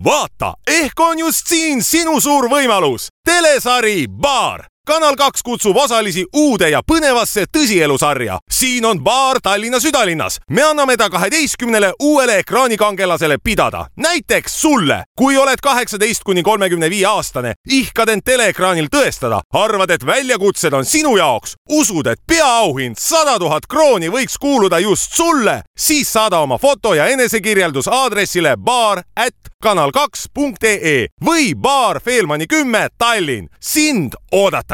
vaata, ehk on just siin sinu suur võimalus. Telesari Baar. Kanal 2 kutsub osalisi uude ja põnevasse tõsielusarja. Siin on baar Tallinna südalinnas. Me anname ta 12 uuele ekraanikangelasele pidada. Näiteks sulle, kui oled 18–35 aastane, ihkad end teleekraanil tõestada, arvad, et väljakutsed on sinu jaoks, usud, et peaauhind 100 000 krooni võiks kuuluda just sulle, siis saada oma foto ja enesekirjeldus aadressile baar@kanal2.ee või baar Feelmani 10 Tallinn. Sind oodatakse.